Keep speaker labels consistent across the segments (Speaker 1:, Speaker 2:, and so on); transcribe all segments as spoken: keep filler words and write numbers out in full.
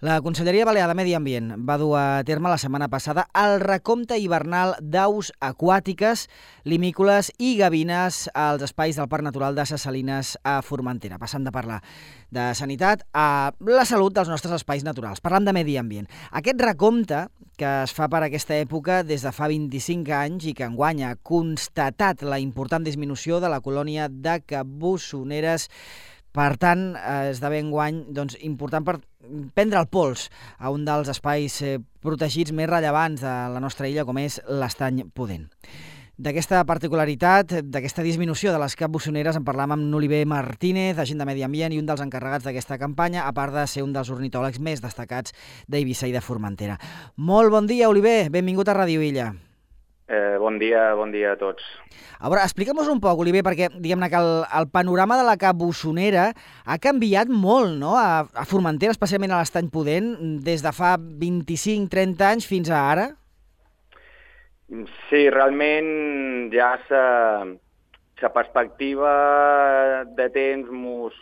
Speaker 1: La Conselleria Balear de Medi Ambient va dur a terme la setmana passada el recompte hivernal d'aus aquàtiques, limícoles i gavines als espais del Parc Natural de Ses Salines a Formentera. Passant de parlar de sanitat a la salut dels nostres espais naturals. Parlant de medi ambient. Aquest recompte, que es fa per aquesta època des de fa vint-i-cinc anys i que enguany ha constatat la important disminució de la colònia de cabussoneres. Per tant, esdevé enguany doncs, important per prendre el pols a un dels espais eh, protegits més rellevants de la nostra illa, com és l'Estany Pudent. D'aquesta particularitat, d'aquesta disminució de les cabussoneres, en parlàvem amb n'Oliver Martínez, agent de Medi Ambient i un dels encarregats d'aquesta campanya, a part de ser un dels ornitòlegs més destacats d'Eivissa i de Formentera. Molt bon dia, Oliver. Benvingut a Ràdio Illa.
Speaker 2: Eh, bon dia, bon dia a tots.
Speaker 1: A veure, explica'm-nos un poc, Oliver, perquè diguem-ne que el, el panorama de la cabussonera ha canviat molt, no?, a, a Formentera, especialment a l'Estany Pudent, des de fa vint-i-cinc trenta anys fins a ara.
Speaker 2: Sí, realment ja sa, sa perspectiva de temps mos,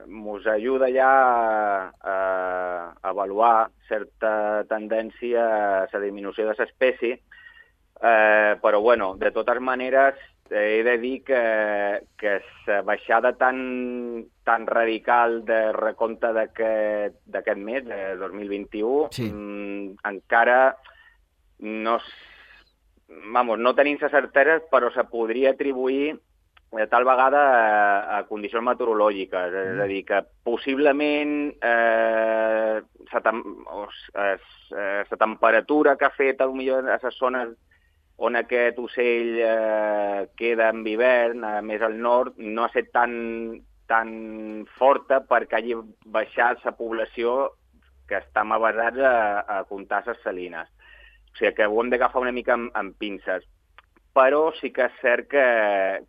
Speaker 2: mos ajuda ja a, a avaluar certa tendència a la disminució de l'espècie. Eh, però, bueno, de totes maneres, eh, he de dir que, que la baixada tan, tan radical de recompte d'aquest mes, de dos mil vint-i-u, sí. mm, encara no, vamos, no tenim la certesa, però se podria atribuir de tal vegada a, a condicions meteorològiques. Mm. És a dir, que possiblement eh, la tem temperatura que ha fet potser a les zones on aquest ocell eh, queda en hivern, eh, més al nord, no ha estat tan, tan forta perquè hagi baixat la població que estem avasats a, a comptar les salines. O sigui que ho hem d'agafar una mica amb, amb pinces. Però sí que és cert que,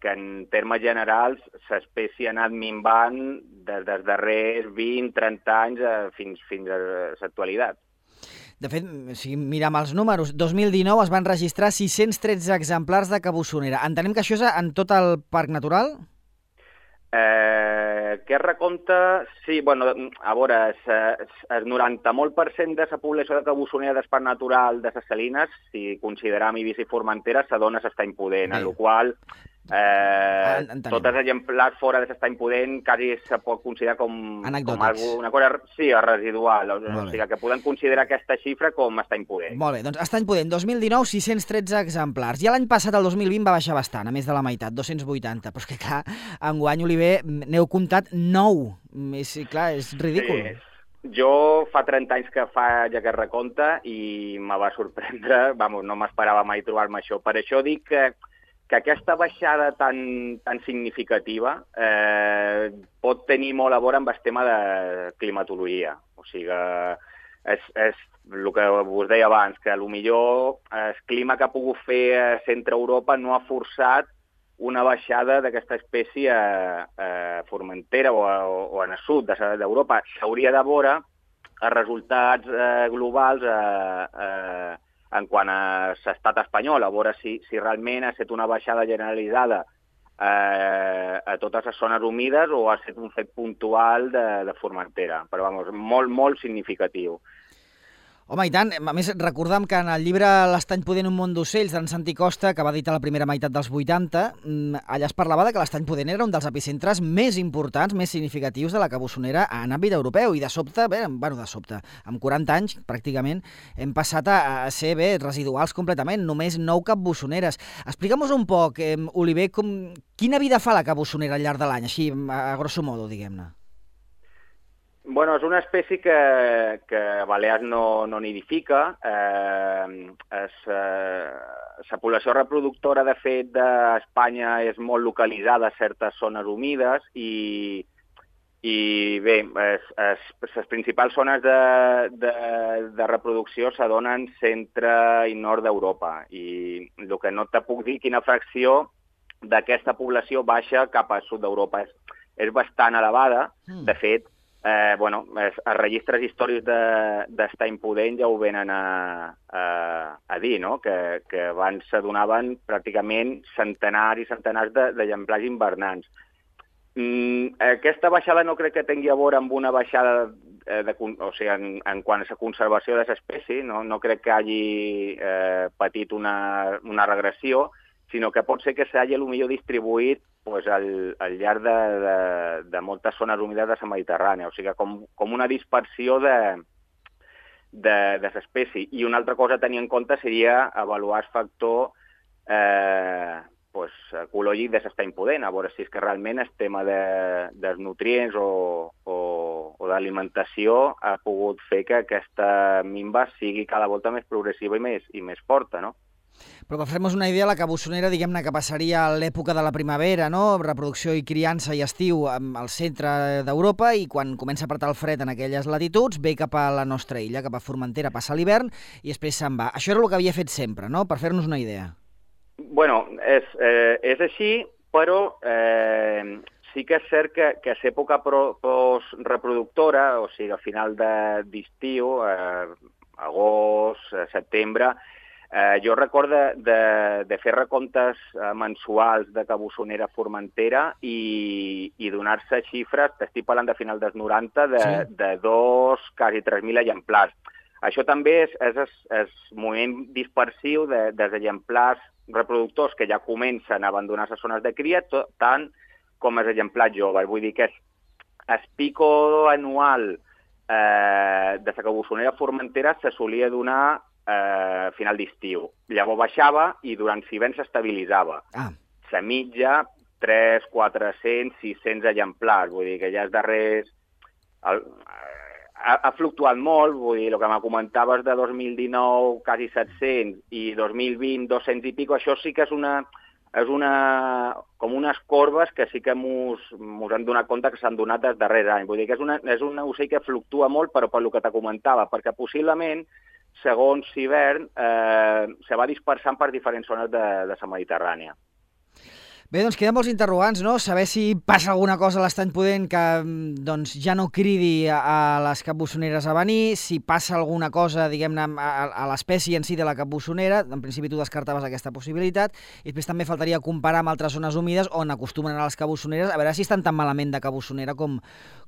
Speaker 2: que en termes generals l'espècie ha anat minvant des dels darrers vint trenta anys eh, fins, fins a l'actualitat.
Speaker 1: De fet, si mirem els números, dos mil dinou es van registrar sis-cents tretze exemplars de cabussonera. Entenem que això és en tot el parc natural?
Speaker 2: Eh, aquest recompte, sí, bueno, a veure, el noranta molt per cent de la població de cabussonera del parc natural de Ses Salines, si consideram Eivissa i Formentera, se dona a l'Estany Pudent, en la qual eh, tots els exemplars fora de l'Estany Pudent quasi se pot considerar com, com algo, una cosa sí, residual, o sigui que podem considerar aquesta xifra com Estany Pudent.
Speaker 1: Molt bé, doncs Estany Pudent, dos mil dinou, sis-cents tretze exemplars. I l'any passat, el dos mil vint, va baixar bastant, a més de la meitat, dos-cents vuitanta. Però és que, clar, enguany, Oliver, n'heu comptat nou. És, clar, és ridícul.
Speaker 2: Sí. Jo fa trenta anys que faig aquest recompte i me va sorprendre, vamos, no m'esperava mai trobar-me això. Per això dic que que aquesta baixada tan, tan significativa eh, pot tenir molt a veure amb el tema de climatologia. O sigui, és, és el que us deia abans, que potser el clima que ha pogut fer a centre Europa no ha forçat una baixada d'aquesta espècie a, a Formentera o, a, o en el sud d'Europa. S'hauria de veure els resultats eh, globals eh, eh, en quant a l'estat espanyol, a veure si, si realment ha estat una baixada generalitzada eh, a totes les zones humides o ha estat un fet puntual de, de Formentera, però vamos, molt, molt significatiu.
Speaker 1: Home, i tant. A més, recordam que en el llibre L'Estany Pudent, un món d'ocells, d'en Santi Costa, que va editar la primera meitat dels vuitanta, allà es parlava de que l'Estany Pudent era un dels epicentres més importants, més significatius de la cabussonera en àmbit europeu. I de sobte, bé, bueno, de sobte, amb quaranta anys, pràcticament, hem passat a, a ser, bé, residuals completament, només nou cabussoneres. Explica'm-nos un poc, eh, Oliver, com, quina vida fa la cabussonera al llarg de l'any, així, a grosso modo, diguem-ne?
Speaker 2: Bueno, és una espècie que, que a Balears no, no nidifica. Eh, és, eh, la població reproductora, de fet, d'Espanya és molt localitzada a certes zones humides i, i bé, es, es, les principals zones de, de, de reproducció se donen centre i nord d'Europa. I el que no te puc dir quina fracció d'aquesta població baixa cap al sud d'Europa. És, és bastant elevada, mm. de fet, Eh, bueno, els registres històrics d'Estany Pudent ja ho venen a, a, a dir, no? que, que abans se donaven pràcticament centenars i centenars d'exemplars invernants. Mm, aquesta baixada no crec que tingui a veure amb una baixada eh, de, o sigui, en, en quant a la conservació de l'espècie, no, no crec que hagi eh, patit una, una regressió, sinó que pot ser que s'hagi potser distribuït pues, al, al llarg de, de, de moltes zones humides de la Mediterrània, o sigui, com, com una dispersió de, de, de l'espècie. I una altra cosa a tenir en compte seria avaluar el factor eh, pues, ecològic de l'estany pudent, a veure si és que realment el tema de, dels nutrients o, o, o d'alimentació ha pogut fer que aquesta minva sigui cada volta més progressiva i més, i més forta, no?
Speaker 1: Però per fer-nos una idea, la cabussonera, diguem-ne que passaria a l'època de la primavera, no? Reproducció i criança i estiu al centre d'Europa, i quan comença a apretar el fred en aquelles latituds, ve cap a la nostra illa, cap a Formentera, passa l'hivern i després se'n va. Això era el que havia fet sempre, no? Per fer-nos una idea.
Speaker 2: Bueno, és, eh, és així, però eh, sí que és cert que, que a l'època post-reproductora, o sigui, a final d'estiu, eh, agost, setembre, Eh, jo recordo de, de, de fer recomptes eh, mensuals de cabussonera a Formentera i, i donar-se xifres, t'estic parlant de final dels noranta, de, sí. de dos, quasi tres mil exemplars. Això també és, és, és, és moviment dispersiu de, dels exemplars reproductors que ja comencen a abandonar les zones de cria, tot, tant com els exemplars joves. Vull dir que és, el pico anual eh, de la cabussonera a Formentera se solia donar a final d'estiu. Llavors baixava i durant l'hivern s'estabilitzava. Ah. La mitja, tres, quatre-cents, sis-cents exemplars. Vull dir que ja els darrers... El, ha, ha fluctuat molt, vull dir, el que me comentaves de dos mil dinou, quasi set-cents, i dos mil vint, dos-cents i pico, això sí que és una... és una com unes corbes que sí que mos, mos han donat compte que s'han donat els darrers anys. Vull dir que és, una, és un ocell que fluctua molt, però per el que te comentava, perquè possiblement segons hivern, eh, se va dispersant per diferents zones de, de la Mediterrània.
Speaker 1: Bé, doncs queden molts interrogants, no? Saber si passa alguna cosa a l'estany pudent que doncs, ja no cridi a, a les capbussoneres a venir, si passa alguna cosa, diguem-ne, a, a l'espècie en si de la capbussonera, en principi tu descartaves aquesta possibilitat, i després també faltaria comparar amb altres zones humides on acostumen a anar les cabussoneres, a veure si estan tan malament de cabussonera com,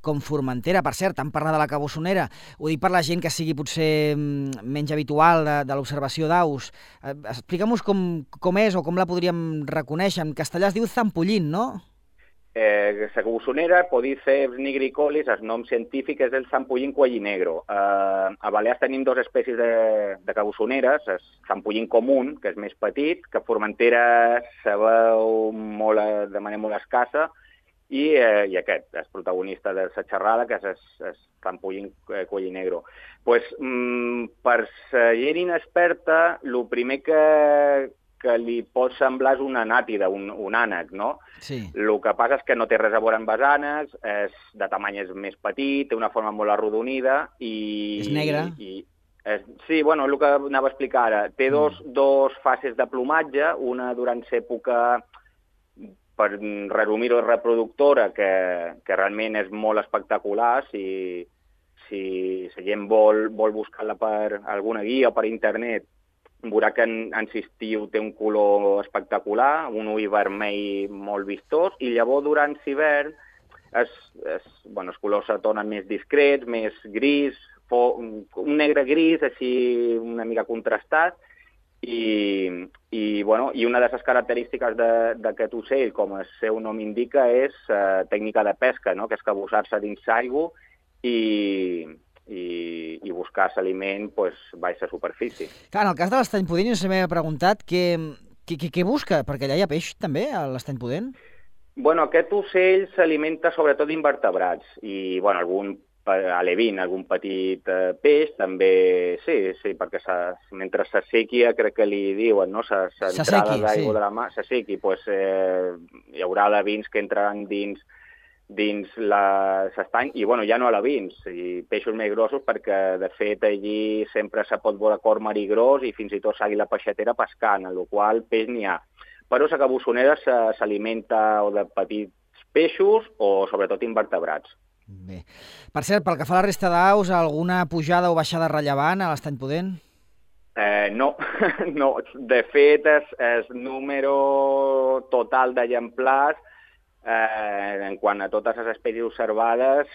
Speaker 1: com Formentera. Per cert, tant parlar de la cabussonera, ho dic per la gent que sigui potser menys habitual de, de l'observació d'aus. Eh, Explica'm-nos com, com és o com la podríem reconèixer. En castellà es diu zampollín, no?
Speaker 2: Eh, la cabussonera, Podiceps nigricolis, el nom científic és el zampollín cuellinegro. Eh, a Balears tenim dues espècies de, de cabussoneres, el zampollín comú, que és més petit, que a Formentera se veu molt, de manera molt escassa, i, eh, i aquest, el protagonista de la xerrada, que és el zampollín cuellinegro. Pues, mm, per la gent inexperta, el primer que que li pot semblar és una anàtida, un, un ànec, no? Sí. El que passa és que no té res a veure amb els ànecs, és, de tamany és més petit, té una forma molt arrodonida i...
Speaker 1: És negre.
Speaker 2: I, és, sí, bueno, el que anava a explicar ara. Té mm. dos, dos fases de plomatge, una durant l'època, per resumir-ho, reproductora, que, que realment és molt espectacular, si, si la gent vol, vol buscar-la per alguna guia o per internet, veurà que en, en estiu té un color espectacular, un ull vermell molt vistós, i llavors durant l'hivern es, es, bueno, els colors se tornen més discrets, més gris, fo, un negre gris, així una mica contrastat, i, i, bueno, i una de les característiques d'aquest ocell, com el seu nom indica, és uh, tècnica de pesca, no? Que és cabussar-se dins l'aigua i... i, i buscar l'aliment pues, baix a superfície.
Speaker 1: Clar, en el cas de l'estany pudent, jo sempre m'he preguntat què, què, què busca, perquè allà hi ha peix també, a l'estany pudent?
Speaker 2: Bueno, aquest ocell s'alimenta sobretot d'invertebrats i, bueno, algun alevin, algun petit eh, peix, també, sí, sí, perquè mentre s'assequia, crec que li diuen, no?, s'entrada d'aigua sí. de la mà, s'assequi, pues, eh, hi haurà alevins que entraran dins dins l'estany, i bueno, ja no alevins, i peixos més grossos, perquè de fet allí sempre se pot veure cor marí gros i fins i tot s'àguila peixatera pescant, en la qual peix n'hi ha. Però la cabussonera s'alimenta o de petits peixos o sobretot invertebrats.
Speaker 1: Bé. Per cert, pel que fa a la resta d'aus, alguna pujada o baixada rellevant a l'estany pudent?
Speaker 2: Eh, no, no. De fet, el número total d'exemplars Eh, en quant a totes les espècies observades,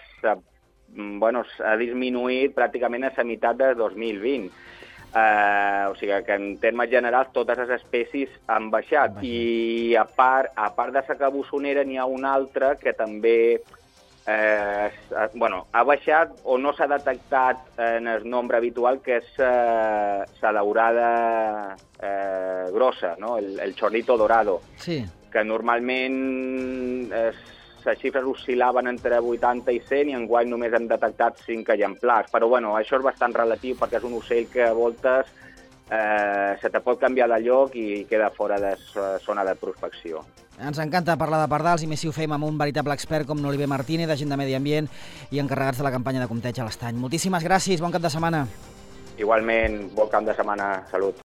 Speaker 2: bueno, s'ha disminuït pràcticament a la meitat de dos mil vint. Uh, o sigui que en termes generals totes les espècies han baixat. baixat. I a part, a part de la cabussonera n'hi ha una altra que també eh, bueno, ha baixat o no s'ha detectat en el nombre habitual, que és eh, la daurada eh, grossa, no? el, el chorrito dorado,
Speaker 1: sí.
Speaker 2: que normalment és les xifres oscil·laven entre vuitanta i cent i enguany només hem detectat cinc exemplars. Però bueno, això és bastant relatiu perquè és un ocell que a voltes eh, se te pot canviar de lloc i queda fora de la zona de prospecció.
Speaker 1: Ens encanta parlar de pardals i més si ho fem amb un veritable expert com l'Oliver Martínez, d'Agent de Medi Ambient i encarregats de la campanya de compteig a l'Estany. Moltíssimes gràcies, bon cap de setmana.
Speaker 2: Igualment, bon cap de setmana, salut.